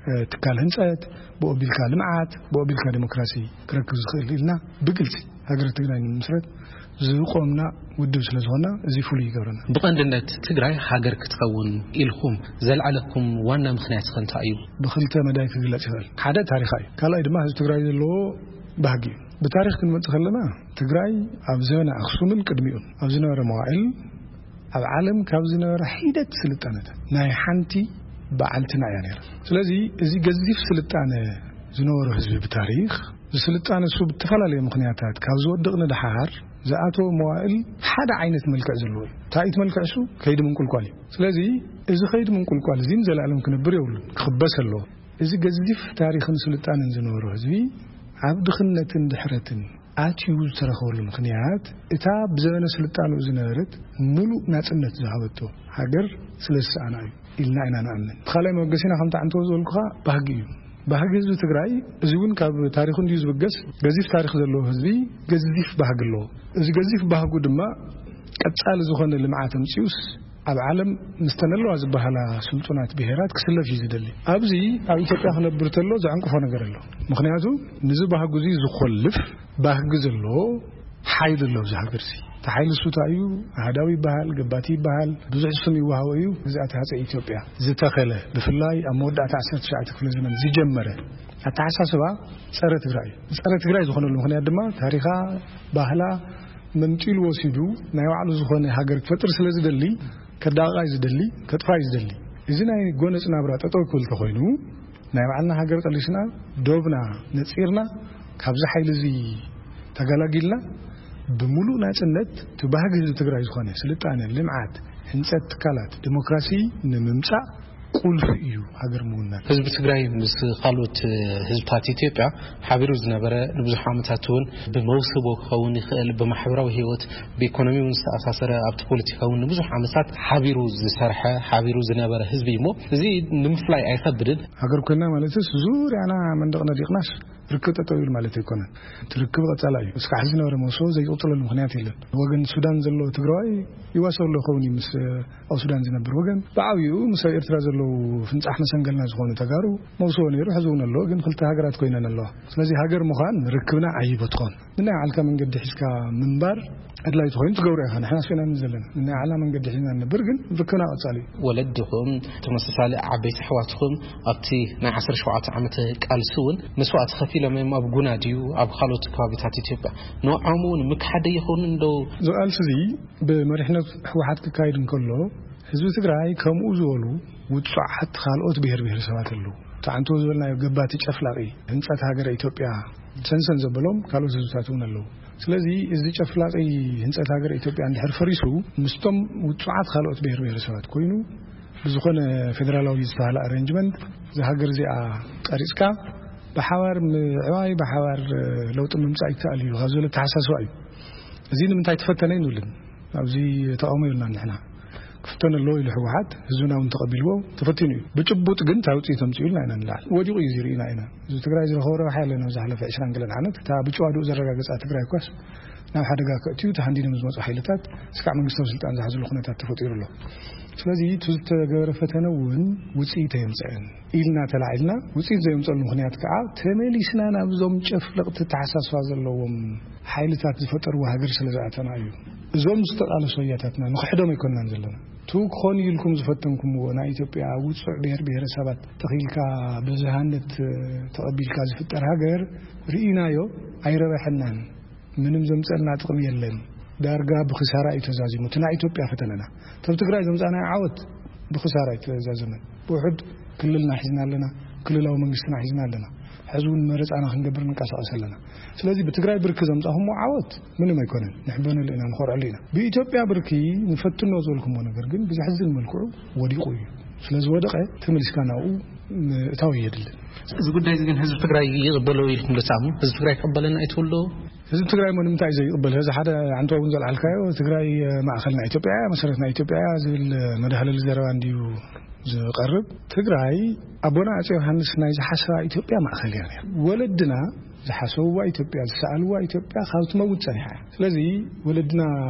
እ፣ ትካል ህንጸት፣ ብኡ ኣቢልካ ልምዓት፣ ብኡ ኣቢልካ ዲሞክራሲ ክረክብ ዝኽእል ኢልና ብግልጺ ሃገረ ትግራይ ንምስረት ዝቆምና ውድብ ስለ ዝኾንና፣ እዚ ፍሉይ ይገብረና። ብቐንድነት ትግራይ ሃገር ክትኸውን ኢልኩም ዘልዓለኩም ዋና ምኽንያት ከ እንታይ እዩ? ብኽልተ መዳይ ክግለጽ ይኽእል። ሓደ ታሪኻ እዩ። ካልኣይ ድማ ህዝቢ ትግራይ ዘለዎ ባህጊ እዩ። ብታሪኽ ክንመጽእ ከለና፣ ትግራይ ኣብ ዘበነ ኣኽሱምን ቅድሚኡን ኣብ ዝነበረ መዋዕል፣ ኣብ ዓለም ካብ ዝነበረ ሒደት ስልጣነታት ናይ ሓንቲ በዓልትና እያ ነይራ። ስለዚ፣ እዚ ገዚፍ ስልጣነ ዝነበሮ ህዝቢ ብታሪኽ፣ ዝስልጣነ እሱ ብተፈላለየ ምኽንያታት ካብ ዝወድቕ ንደሓር ዝኣተወ መዋእል ሓደ ዓይነት መልክዕ ዘለዎ እዩ። እንታይ እቲ መልክዕ እሱ? ከይዲ ምንቁልቋል እዩ። ስለዚ፣ እዚ ከይዲ ምንቁልቋል እዚ ንዘለኣለም ክነብር የብሉን፣ ክኽበስ ኣለዎ። እዚ ገዚፍ ታሪኽን ስልጣነን ዝነበሮ ህዝቢ ኣብ ድኽነትን ድሕረትን ኣትዩ ዝተረኸበሉ ምኽንያት፣ እታ ብዘበነ ስልጣንኡ ዝነበረት ምሉእ ናጽነት ዝሃበቶ ሃገር ስለ ዝሰኣና እዩ ኢልና ኢና ንኣምን። እቲ ካልኣይ መበገሲና ከምቲ ዓንተቦ ዝበልኩኻ ባህጊ እዩ። ባህጊ ህዝቢ ትግራይ፣ እዚ እውን ካብ ታሪኹ እንድዩ ዝብገስ፣ ገዚፍ ታሪኽ ዘለዎ ህዝቢ ገዚፍ ባህጊ ኣለዎ። እዚ ገዚፍ ባህጉ ድማ ቀጻሊ ዝኾነ ልምዓት ኣምጺኡስ ኣብ ዓለም ምስተን ኣለዋ ዝበሃላ ስልጡናት ብሄራት ክስለፍ እዩ ዝደሊ። ኣብዚ ኣብ ኢትዮጵያ ክነብር ተሎ ዘዕንቅፎ ነገር ኣሎ። ምኽንያቱ፣ ንዚ ባህጉ እዚ ዝኾልፍ ባህጊ ዘለዎ ሓይሊ ኣሎ ኣብዚ ሃገር እዚ። እቲ ሓይሊ እሱ እንታይ እዩ? ኣህዳዊ ይበሃል፣ ገባቲ ይበሃል፣ ብዙሕ ስም ይወሃቦ እዩ። ግዝኣት ሃፀይ ኢትዮጵያ ዝተኸለ፣ ብፍላይ ኣብ መወዳእታ ዓሰርተ ትሽዓተ ክፍለ ዘመን ዝጀመረ ኣተሓሳስባ ጸረ ትግራይ እዩ። ጸረ ትግራይ ዝኾነሉ ምኽንያት ድማ፣ ታሪኻ፣ ባህላ መምጢሉ ወሲዱ ናይ ባዕሉ ዝኾነ ሃገር ክፈጥር ስለ ዝደሊ፣ ከዳቕቓ እዩ ዝደሊ፣ ከጥፋ እዩ ዝደሊ። እዚ ናይ ጎነጽ ናብራ ጠጠው ክብል ተኾይኑ፣ ናይ ባዕልና ሃገር ቀሊስና፣ ዶብና ነጺርና፣ ካብዚ ሓይሊ እዚ ተገላጊልና፣ ብምሉእ ናጽነት እቲ ባህጊ ህዝቢ ትግራይ ዝኾነ ስልጣነ፣ ልምዓት፣ ህንጸት ትካላት፣ ዲሞክራሲ ንምምጻእ ቁልፊ እዩ ሃገር ምውናን። ህዝቢ ትግራይ ምስ ካልኦት ህዝብታት ኢትዮጵያ ሓቢሩ ዝነበረ፣ ንብዙሕ ዓመታት እውን ብመውስቦ ክኸውን ይኽእል፣ ብማሕበራዊ ህይወት፣ ብኢኮኖሚ እውን ዝተኣሳሰረ፣ ኣብቲ ፖለቲካ እውን ንብዙሕ ዓመታት ሓቢሩ ዝሰርሐ፣ ሓቢሩ ዝነበረ ህዝቢ እዩ። እሞ እዚ ንምፍላይ ኣይኸብድን። ሃገር ኮይና ማለትስ ዙርያና መንደቕ ነዲቕናስ ርክብ ጠጠው ይብል ማለት ኣይኮነን። እቲ ርክብ ቀጻላይ እዩ። እስካዕ ሕዚ ዝነበረ መውስቦ ዘይቅጽለሉ ምኽንያት የለን። ወገን ሱዳን ዘሎ ትግራዋይ ይዋሰብ ኣሎ ይኸውን እዩ ምስ ኣብ ሱዳን ዝነብር ወገን። ብዓብይኡ ምስ ኣብ ኤርትራ ዘሎ ፍንጻሕ መሰንገልና ዝኾኑ ተጋሩ መውስቦ ነይሩ፣ ሕዚ እውን ኣለዎ፣ ግን ክልተ ሃገራት ኮይነን ኣለዋ። ስለዚ ሃገር ምዃን ርክብና ዓይቦ ትኾን። ንናይ ዓልካ መንገዲ ሒዝካ ምንባር ኣድላይ ትኾይኑ ትገብሮ ኢኻ። ንሕና ስኢና ዘለና ንናይ ዓላ መንገዲ ሒዝና ንነብር፣ ግን ርክብና ቀጻሊ እዩ። ወለድኹም፣ ተመሳሳሊ ዓበይቲ ኣሕዋትኹም ኣብቲ ናይ ዓሰርተ ሸውዓተ ዓመት ቃልሲ እውን መስዋእቲ ከፊሎም እዮም። ኣብ ጉና ድዩ ኣብ ካልኦት ከባቢታት ኢትዮጵያ ንዖም እውን ምክሓደ ይኸውን እንዶ? እዚ ቃልሲ እዚ ብመሪሕነት ህወሓት ክካይድ እንከሎ፣ ህዝቢ ትግራይ ከምኡ ዝበሉ ውጹዓት ካልኦት ብሔር ብሔረሰባት ኣለዉ። እቲ ዓንቶ ዝበልናዮ ገባቲ ጨፍላቒ ህንጸት ሃገረ ኢትዮጵያ ሰንሰን ዘበሎም ካልኦት ህዝብታት እውን ኣለዉ። ስለዚ እዚ ጨፍላቒ ህንጸት ሃገረ ኢትዮጵያ እንድሕር ፈሪሱ፣ ምስቶም ውጹዓት ካልኦት ብሔር ብሔረሰባት ኮይኑ፣ ብዝኾነ ፌደራላዊ ዝተባህለ ኣረንጅመንት እዛ ሃገር እዚኣ ቀሪጽካ፣ ብሓባር ምዕባይ፣ ብሓባር ለውጢ ምምጻእ ይከኣል እዩ ካብ ዝብል ኣተሓሳስባ እዩ። እዚ ንምንታይ ተፈተነ ይንብልን ኣብዚ ተቃውሞ የብልናን ንሕና። ክፍተን ኣለዎ ኢሉ ህወሓት፣ ህዝብና እውን ተቐቢልዎ፣ ተፈቲኑ እዩ። ብጭቡጥ ግን እንታይ ውፅኢት ኣምፅኡ ኢልና ኢና ንላዕል። ወዲቑ እዩ ዝርኢና ኢና። ህዝቢ ትግራይ ዝረኸቦ ረብሓ የለን። ኣብ ዝሓለፈ ዕስራን ገለን ዓመት እታ ብጭዋድኡ ዘረጋገፃ ትግራይ እኳስ ናብ ሓደጋ ከእትዩ ተሃንዲዶም ዝመፁ ሓይልታት እስካዕ መንግስታዊ ስልጣን ዝሓዝሉ ኩነታት ተፈጢሩ ኣሎ። ስለዚ እቲ ዝተገበረ ፈተነ እውን ውፅኢት ኣየምፅአን ኢልና ተላዒልና፣ ውፅኢት ዘየምፀሉ ምኽንያት ከዓ ተመሊስና ናብዞም ጨፍለቕቲ ተሓሳስባ ዘለዎም ሓይልታት ዝፈጠርዎ ሃገር ስለ ዝኣተና እዩ። እዞም ዝተቓለሱ ኣያታትና ንኽሕዶም ኣይኮንናን ዘለና። ቱ ክኾን ኢልኩም ዝፈተንኩምዎ ናይ ኢትዮጵያ ውፁዕ ብሔር ብሔረሰባት ተኺልካ ብዝሃነት ተቐቢልካ ዝፍጠር ሃገር ርኢናዮ፣ ኣይረበሐናን። ምንም ዘምፀልና ጥቕሚ የለን። ዳርጋ ብኽሳራ እዩ ተዛዚሙ። እቲ ናይ ኢትዮጵያ ፈተነና። ተብ ትግራይ ዘምፃናዮ ዓወት ብኽሳራ እዩ ተዛዘመን። ብውሑድ ክልልና ሒዝና ኣለና፣ ክልላዊ መንግስትና ሒዝና ኣለና። ሕዚ እውን መረፃና ክንገብር ንንቀሳቐስ ኣለና። ስለዚ ብትግራይ ብርኪ ዘምፃኹምዎ ዓወት ምንም ኣይኮነን። ንሕበነሉ ኢና፣ ንኾርዐሉ ኢና። ብኢትዮጵያ ብርኪ ንፈትኖ ዝበልኩምዎ ነገር ግን ብዘሕዝን መልክዑ ወዲቑ እዩ። ስለ ዝወደቐ ተመሊስካ ናብኡ ምእታው የድልን። እዚ ጉዳይ እዚ ግን ህዝቢ ትግራይ ይቕበሎ ኢልኩም ዶ ትኣምኑ? ህዝቢ ትግራይ ይቕበለና እዩ ትብሉ ዶ? ህዝቢ ትግራይ እሞ ንምንታይ እዩ ዘይቕበል? እዚ ሓደ ኣንተ እውን ዘልዓልካዮ ትግራይ ማእኸል ናይ ኢትዮጵያ እያ፣ መሰረት ናይ ኢትዮጵያ እያ ዝብል መድሃለሊ ዘረባ እንድዩ ዝቐርብ። ትግራይ ኣቦና ኣጼ ዮሃንስ ናይ ዝሓሰባ ኢትዮጵያ ማእኸል እያ ነይራ። ወለድና ዝሓሰብዋ ኢትዮጵያ፣ ዝሰኣልዋ ኢትዮጵያ ካብ ትመውት ጸኒሓ እያ። ስለዚ ወለድና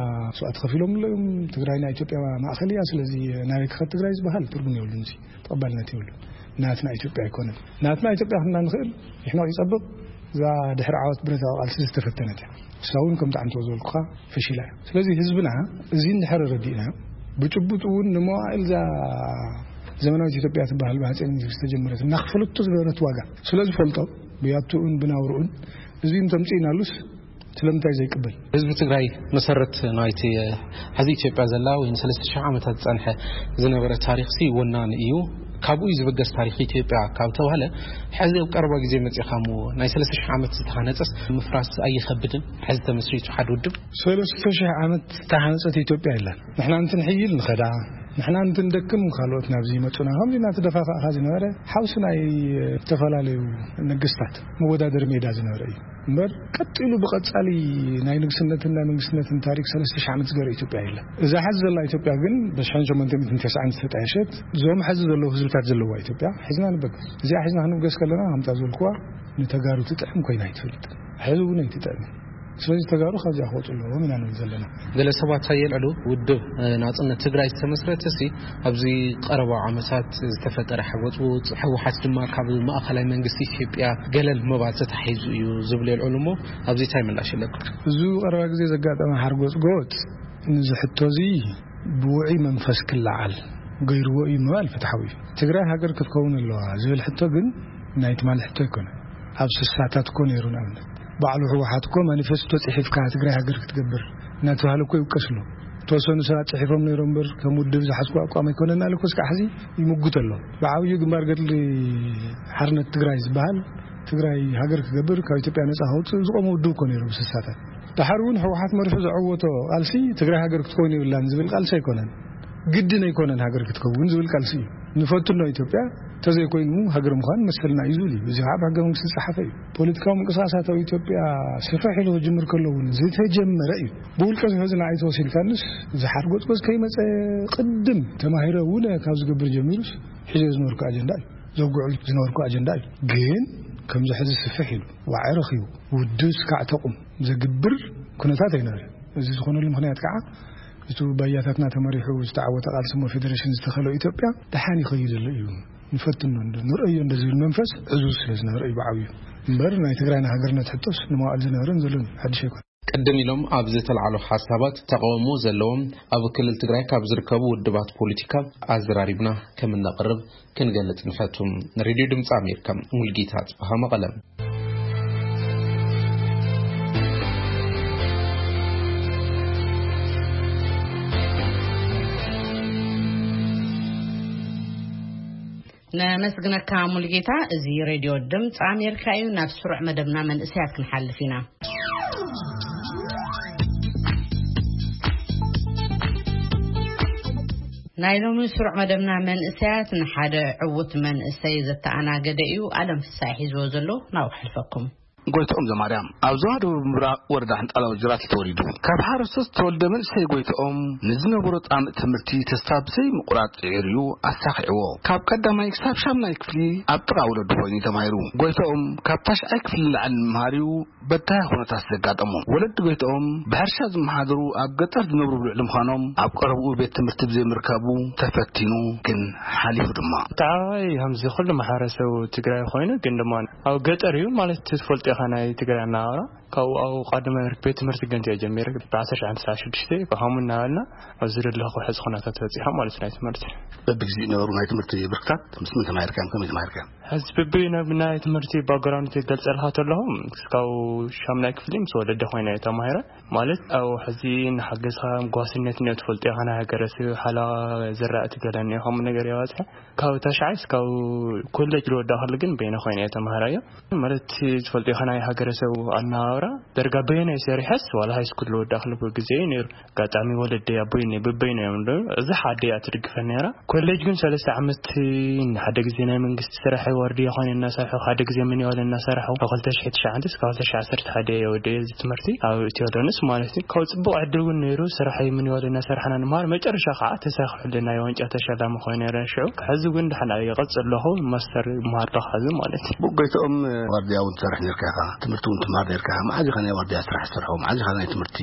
መስዋእቲ ከፊሎም ኣለዉ እዮም። ትግራይ ናይ ኢትዮጵያ ማእኸል እያ። ስለዚ ናበይ ክኸድ ትግራይ ዝበሃል ትርጉም የብሉን። እዚ ተቐባልነት የብሉን። ናትና ኢትዮጵያ ኣይኮነን። ናትና ኢትዮጵያ ክንና ንኽእል ይሕመቕ ይጸብቕ፣ እዛ ድሕሪ ዓወት ብረታዊ ቃልሲ ዝተፈተነት እያ። እሳ እውን ከምቲ ዓንቶ ዝበልኩኻ ፈሺላ እያ። ስለዚ ህዝብና እዚ እንድሕር ረዲእና፣ ብጭቡጥ እውን ንመዋእል እዛ ዘመናዊት ኢትዮጵያ ትበሃል ብሃፀይ ምኒልክ ዝተጀመረት እናኽፈለቶ ዝነበረት ዋጋ ስለ ዝፈልጦ፣ ብያትኡን ብናብርኡን እዚ እንተምፅእናሉስ ስለምንታይ ዘይቅበል? ህዝቢ ትግራይ መሰረት ናይቲ፣ እ፣ ሕዚ ኢትዮጵያ ዘላ ወይ ንሰለስተ ሽሕ ዓመታት ዝጸንሐ ዝነበረ ታሪኽሲ ወናኒ እዩ። ካብኡ እዩ ዝብገስ ታሪኽ ኢትዮጵያ ካብ ተባህለ፣ ሕዚ ኣብ ቀረባ ግዜ መጺኻሞ ናይ ሰለስተ ሽሕ ዓመት ዝተሃነጸስ ምፍራስ ኣይኸብድን? ሕዚ ተመስሪቱ ሓደ ውድብ ሰለስተ ሽሕ ዓመት ዝተሃነጸት ኢትዮጵያ የላን። ንሕና እንትንሕይል ንኸዳ፣ ንሕና እንትንደክም ካልኦት ናብዚ ይመጹና። ከምዚ እናተደፋፋእካ ዝነበረ ሓውሲ ናይ ዝተፈላለዩ ነገስታት መወዳደሪ ሜዳ ዝነበረ እዩ። እምበር ቀጢሉ ብቐጻሊ ናይ ንግስነትን ናይ መንግስትነትን ታሪክ ሰለስተ ሽሕ ዓመት ዝገበረ ኢትዮጵያ የለን። እዛ ሐዚ ዘላ ኢትዮጵያ ግን ብሽሕን ሸሞንተ ሚእትን ተስዓን ዝተጣየሸት፣ እዞም ሐዚ ዘለዉ ህዝብታት ዘለዋ ኢትዮጵያ ሒዝና ንበገስ። እዚኣ ሒዝና ክንብገስ ከለና፣ ከምታ ዝበልኩዋ፣ ንተጋሩ ትጥዕም ኮይና ኣይትፈልጥን። ሕዚ እውን ኣይትጥዕምን። ስለዚ ተጋሩ ካብዚኣ ክወፁ ኣለዎም ኢና ንብል ዘለና። ገለ ሰባት ኣየልዕሉ፣ ውድብ፣ እ፣ ናጽነት ትግራይ ዝተመስረተ ሲ ኣብዚ ቀረባ ዓመታት ዝተፈጠረ ሓጎጽጎጽ፣ ህወሓት ድማ ካብ ማእኸላይ መንግስቲ ኢትዮጵያ ገለል ምባል ተታሒዙ እዩ ዝብሉ የልዕሉ እሞ፣ ኣብዚ እንታይ ምላሽ ኣለኩም? እዚ ቀረባ ግዜ ዘጋጠመ ሓርጎጽጎጽ፣ ነዚ ሕቶ እዚ ብውዑይ መንፈስ ክለዓል ገይርዎ እዩ ምባል ፍትሓዊ እዩ። ትግራይ ሃገር ክትከውን ኣለዋ ዝብል ሕቶ ግን ናይ ትማሊ ሕቶ ኣይኮነን። ኣብ ስሳታት እኮ ነይሩ። ንኣብነት፣ ባዕሉ ህወሓት እኮ ማኒፌስቶ ጽሒፍካ ትግራይ ሃገር ክትገብር እናተባህለ እኮ ይውቀስ ኣሎ። ዝተወሰኑ ሰባት ጽሒፎም ነይሮም እምበር፣ ከም ውድብ ዝሓዝኩ ኣቋም ኣይኮነን ኣለ እኮ እስካዕ ሕዚ ይምጉት ኣሎ። ብዓብዩ ግንባር ገድሊ ሓርነት ትግራይ ዝበሃል፣ ትግራይ ሃገር ክገብር፣ ካብ ኢትዮጵያ ነጻ ከውጽእ ዝቆመ ውድብ እኮ ነይሩ ብስሳታት። ደሓር እውን ህወሓት መሪሑ ዘዐወቶ ቃልሲ ትግራይ ሃገር ክትከውን የብላን ዝብል ቃልሲ ኣይኮነን። ግድን ኣይኮነን ሃገር ክትከውን ዝብል ቃልሲ እዩ። ንፈትኖ ኢትዮጵያ፣ እንተዘይኮይኑ ሃገር ምዃን መሰልና እዩ ዝብል እዩ። እዚ ከዓ ብሕገ መንግስቲ ዝፀሓፈ እዩ። ፖለቲካዊ ምንቅስቃሳት ኣብ ኢትዮጵያ ስፍሕ ኢሉ ክጅምር ከሎ እውን ዝተጀመረ እዩ። ብውልቀ ዝሕዝን ኣይተወሲድካንስ፣ ዝሓር ጎፅጎፅ ከይመፀ ቅድም ተማሂረ እውን ካብ ዝገብር ጀሚሩስ ሒዞ ዝነበርኩ ኣጀንዳ እዩ። ዘጉዕል ዝነበርኩ ኣጀንዳ እዩ። ግን ከምዚ ሕዚ ስፍሕ ኢሉ ዋዒ ረኺቡ ውድብ ስካዕ ተቑም ዘግብር ኩነታት ኣይነበረን። እዚ ዝኾነሉ ምኽንያት ከዓ እቱ ባያታትና ተመሪሑ ዝተዓወተ ቃልሲ እሞ ፌደሬሽን ዝተኸሎ ኢትዮጵያ ደሓን ይኸይድ ዘሎ እዩ። ንፈትኖ እንዶ ንርእዮ እንዶ ዝብል መንፈስ ዕዙዝ ስለ ዝነበረ እዩ ብዓብዩ። እምበር ናይ ትግራይና ሃገርነት ሕቶስ ንመዋእል ዝነበረን ዘሎን ሓድሽ ኣይኮነ። ቅድም ኢሎም ኣብ ዝተልዓሉ ሓሳባት ተቃውሞ ዘለዎም ኣብ ክልል ትግራይ ካብ ዝርከቡ ውድባት ፖለቲካ ኣዘራሪብና ከም እነቕርብ ክንገልጽ ንፈቱ። ንሬድዮ ድምፂ ኣሜሪካ፣ ሙልጌታ ጽብሃ፣ መቐለ። ነመስግነካ ሙልጌታ። እዚ ሬድዮ ድምፂ ኣሜሪካ እዩ። ናብ ስሩዕ መደብና መንእሰያት ክንሓልፍ ኢና። ናይ ሎሚ ስሩዕ መደብና መንእሰያት ንሓደ ዕዉት መንእሰይ ዘተኣናገደ እዩ። ኣለም ፍሳይ ሒዝዎ ዘሎ ናብ ሓልፈኩም። ጎይትኦም ዘማርያም ኣብ ዞባ ደቡብ ምብራቕ ወረዳ ሕንጣላ ወጅራት ተወሊዱ። ካብ ሓረስቶት ዝተወልደ መንእሰይ ጎይትኦም ንዝነበሮ ጻምእ ትምህርቲ ተስፋ ብዘይ ምቑራጽ ጽዒሩ እዩ ኣሳኺዕዎ። ካብ ቀዳማይ ክሳብ ሻምናይ ክፍሊ ኣብ ጥቓ ወለዱ ኮይኑ እዩ ተማሂሩ። ጎይትኦም ካብ ታሽዓይ ክፍሊ ንላዕሊ ንምምሃር እዩ በዳሂ ኩነታት ዘጋጠሞ። ወለዲ ጎይትኦም ብሕርሻ ዝመሓደሩ ኣብ ገጠር ዝነብሩ ብልዕሊ ምዃኖም ኣብ ቀረብኡ ቤት ትምህርቲ ብዘይምርካቡ ተፈቲኑ ግን ሓሊፉ ድማ። እቲ ዓባይ ከምዚ ኩሉ ማሕበረሰብ ትግራይ ኮይኑ ግን ድማ ኣብ ገጠር እዩ ማለት ትፈልጦ ኢኻ ናይ ትግራይ ኣነባብራ። ካብኡ ኣብ ቀዳማይ ብርኪ ቤት ትምህርቲ ገንዘ ጀሚረ ብ ዓሰርተ ሽዱሽተ ብሃሙን እናበልና ኣብዚ ዘለኹ ሕዚ ኩነታት በፂሖም ማለት ናይ ትምህርቲ። በብግዜኡ ነበሩ ናይ ትምህርቲ ብርክታት ምስ መን ተማሂርካዮም ከመይ ተማሂርካዮም? ሕዚ ብብይ ናብ ናይ ትምህርቲ ባክግራውንድ ይገልጸልካ ተለኹ እስካብ ሻምናይ ክፍሊ ምስ ወለደ ኮይነ ተማሂረ። ማለት ኣብ ሕዚ ንሓገዝካ ጓስነት እኒኦ ትፈልጦ ኢኻ ናይ ሃገረሰብ ሓላ ዝራእቲ ገለ እኒኦ ከምኡ ነገር የባፅሐ። ካብ ታሽዓይ እስካብ ኮሌጅ ዝወዳእክሉ ግን በይነ ኮይነ እየ ተማሃራዮ። ማለት ዝፈልጦ ኢኻ ናይ ሃገረሰብ ኣነባብራ ደርጋ በይነ ሰሪሐስ ዋላ ሃይስኩል ዝወዳእክሉ ግዜ እዩ ነይሩ። ኣጋጣሚ ወለደይ ኣቦይ እኒ ብበይነ እዮም ዶ እዚ ሓደ እያ ትድግፈ ነይራ። ኮሌጅ ግን ሰለስተ ዓመት ሓደ ግዜ ናይ መንግስቲ ስራሕ ወርዲ የኾነ እናሰርሑ ሓደ ግዜ ምን ይዋለ እናሰርሑ ካብ ክልተ ሽሕ ትሽዓተ እስካብ ክልተ ሽሕ ዓሰርተ ሓደ እየ ወደ እዚ ትምህርቲ ኣብ ኢትዮ ዶንስ ማለት እዩ። ካብ ጽቡቕ ዕድል እውን ነይሩ። ስራሕ ምን ይዋለ እናሰርሕና ንምሃር መጨረሻ ከዓ ተሳኺዑልና ናይ ዋንጫ ተሸላሚ ኮይኑ ነይረ። ሽዑ ሕዚ እውን ድሓን ይቐጽል ኣለኹ። ማስተር ይምሃር ኣለኹ ሕዚ ማለት እዩ። ብጎይትኦም ዋርድያ እውን ትሰርሕ ነርካ ኢኻ፣ ትምህርቲ እውን ትምሃር ነርካ ኢኻ። መዓዝ ኢኻ ናይ ዋርድያ ስራሕ ትሰርሖ? መዓዝ ኢኻ ናይ ትምህርቲ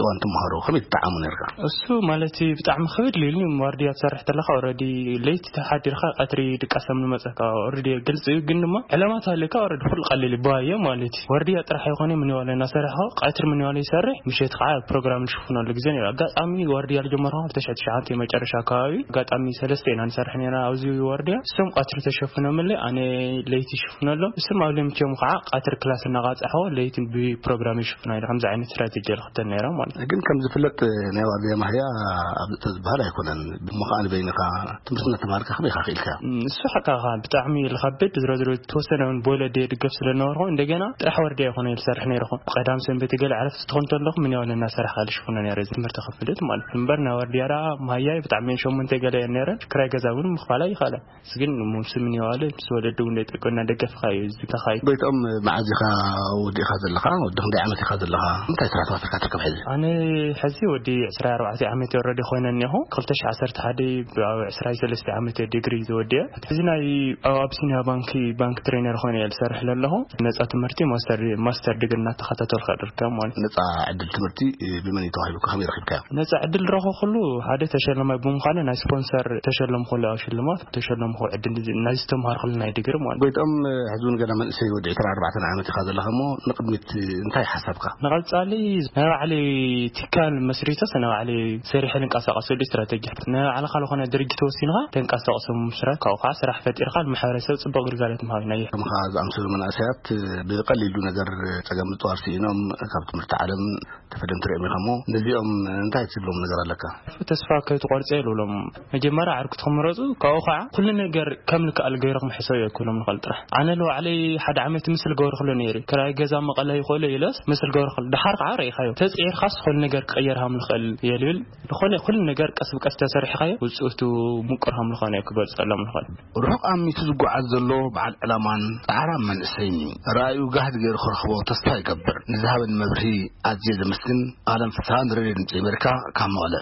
እዋን ትምሃሮ? ከመይ ትጠዓሙ ነርካ? እሱ ማለት እዩ ብጣዕሚ ክብድ ኢሉኒ። ዋርድያ ትሰርሕ ተለኻ ኦልሬዲ ለይቲ ተሓዲርካ ቀትሪ ድቃሰም ንመጸካ ኦልሬዲ ግልጺ እዩ። ግን ድማ ዕላማ ተሃልዩካ ኦልሬዲ ኩሉ ቀሊል እዩ። ብዋየ ማለት እዩ። ዋርድያ ጥራሕ ኣይኮነ ምን ይዋለ እናሰርሖ ቀትሪ ምን ይዋለ ይሰርሕ፣ ምሸት ከዓ ፕሮግራም ንሽፍነሉ ግዜ ነይሩ። ኣጋጣሚ ዋርድያ ዝጀመርኩ ክልተ ሽሕ ትሽዓተ መጨረሻ ኣካባቢ ኣጋጣሚ ሰለስተ ኢና ንሰርሕ ነይርና ኣብዚ ዋርድያ። እሶም ቀትሪ ተሸፍኖምለይ ኣነ ለይቲ ይሽፍነሎም። እሶም ኣብ ለምቸም ከዓ ቀትሪ ክላስ እናቃጻሕዎ ለይቲ ብፕሮግራም ይሽፍና ኢለ ከምዚ ዓይነት ስትራቴጂ ንኽተል ነይራ ማለት እዩ። ግን ከም ዝፍለጥ ናይ ዋርድያ ማህያ ኣብ ተዝበሃል ኣይኮነን። እሞ ከዓ ንበይንኻ ትምህርቲ እናተምሃርካ ከመይ ኢኻ ክኢልካ? እም፣ እሱ ሓቃኻ ብጣዕሚ ዝኸብድ ዝሮ ዝሮ ዝተወሰነ እውን ብወለዲ ድገፍ ስለ ዝነበርኩ እንደገና ጥራሕ ዋርድያ ኣይኮነ ዝሰርሕ ነይርኹ። ቀዳም ሰንበት ገለ ዕረፍቲ ትኾን ተለኹ ምን ያው እናሰራሕካ ዝሽፍኖ ነይረ ትምህርቲ ክፍልት ማለት እዩ። እምበር ናይ ዋርድያ ደኣ ማህያይ ብጣዕሚ ሸሞንተ ገለ እየን ነይረን። ክራይ ገዛ እውን ምኽፋል ኣይኸኣለን። ግን ምስ ምን ይዋለ ምስ ወለዲ እውን ደቂ እናደገፍካ እዩ ዝተኻይ። ጎይትኦም መዓዝ ኢኻ ወዲእኻ ዘለኻ? ወዲ ክንደይ ዓመት ኢኻ ዘለኻ? እንታይ ስራሕ ተዋፊርካ ትርከብ ሕዚ? ኣነ ሕዚ ወዲ ዕስራ ኣርባዕተ ዓመት ወረዲ ኮይነ እኒኹ። ክልተ ሽሕ ዓሰርተ ሓደ ኣብ ዕስራ ሰለስተ ዓመት ዲግሪ ዝወዲአ። ሕዚ ናይ ኣብ ኣቢሲንያ ባንኪ ባንክ ትሬነር ኮይነ እየ ዝሰርሕ ዘለኹ። ነፃ ትምህርቲ ማስተር ማስተር ዲግሪ እናተኸታተልካ ድርከብ ማለት እዩ። ነፃ ዕድል ትምህርቲ ብመን እዩ ተዋሂቡካ? ከመይ ረኺብካዮ? ነፃ ዕድል ረኹ ኩሉ ሓደ ተሸለማይ ብምዃነ ናይ ስፖንሰር ተሸለምኩ ሽልማት ተሸለምኩ ዕድል ናይ ዝተምሃርኩሉ ናይ ዲግሪ ማለት እዩ። ጎይትኦም ሕዚ እውን ገና መንእሰይ ወዲ ዕስራ ኣርባዕተ ዓመት ኢኻ ዘለኻ እሞ ንቅድሚት እንታይ ሓሳብካ? ንቐጻሊ ናይ ባዕለይ ትካል መስሪተስ ናይ ባዕለይ ሰሪሐ ልንቀሳቐሰሉ ስትራተጂ ናይ ባዕልኻ ዝኾነ ድርጅት ወሲንኻ ተንቀሳቕሶ ምስራት ካብኡ ከዓ ስራሕ ፈጢርካ ንማሕበረሰብ ጽቡቕ ግልጋሎት ምሃብ ናይ ከምኻ ዝኣምሰሉ መናእሰያት ብቐሊሉ ነገር ጸገም ምጽዋር ስኢኖም ካብ ትምህርቲ ዓለም ተፈደም ትሪኦም ኢኻ እሞ ነዚኦም እንታይ ትብሎም ነገር ኣለካ? ተስፋ ከይትቆርጸ ይብሎም። መጀመርያ ዓርኩ ትኽምረጹ ካብኡ ከዓ ኩሉ ነገር ከም ልክኣል ገይርኩም ሕሰብ የክሎም ንኽእል ጥራሕ ኣነ ለባዕለይ ሓደ ዓመት ምስል ገበርክሎ ነይሩ ክራይ ገዛ መቐለ ይኽእሎ ኢለስ ምስል ገበርክሎ ድሓር ከዓ ርኢኻዮ ተፅዒርካስ ኩሉ ነገር ክቐየር ሃም ንኽእል እየ ልብል ዝኾነ ኩሉ ነገር ቀስ ብቀስ ተሰሪሕኻዮ ውፅእቱ ምቁር ሃም ዝኾነ ክገልፀሎም ንኽእል። ርሑቕ ኣሚቱ ዝጓዓዝ ዘሎ በዓል ዕላማን ጻዕራም መንእሰይን እዩ። ራእዩ ጋህዲ ገይሩ ክረኽቦ ተስፋ ይገብር። ንዝሃበኒ መብርሂ ኣዝየ ዘመስግን። ኣለም ፍስሃ ንሬድዮ ድምፂ ኣሜሪካ ካብ መቐለ።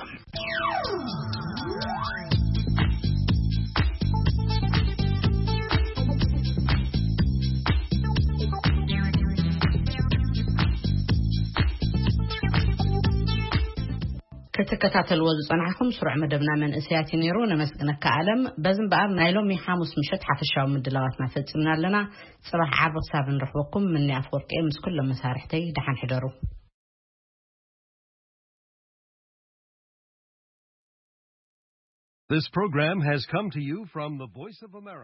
ትከታተልዎ ዝጸናሕኩም ስሩዕ መደብና መንእሰያት እዩ ነይሩ። ነመስግነካ ኣለም። በዚ እምበኣር ናይ ሎሚ ሓሙስ ምሸት ሓፈሻዊ ምድላዋትና ፈጺምና ኣለና። ጽባሕ ዓርቢ ክሳብ እንረኽበኩም፣ ምኒ ኣፍወርቂ ምስ ኩሎም መሳርሕተይ ደሓን ሕደሩ። This program has come to you from the Voice of America.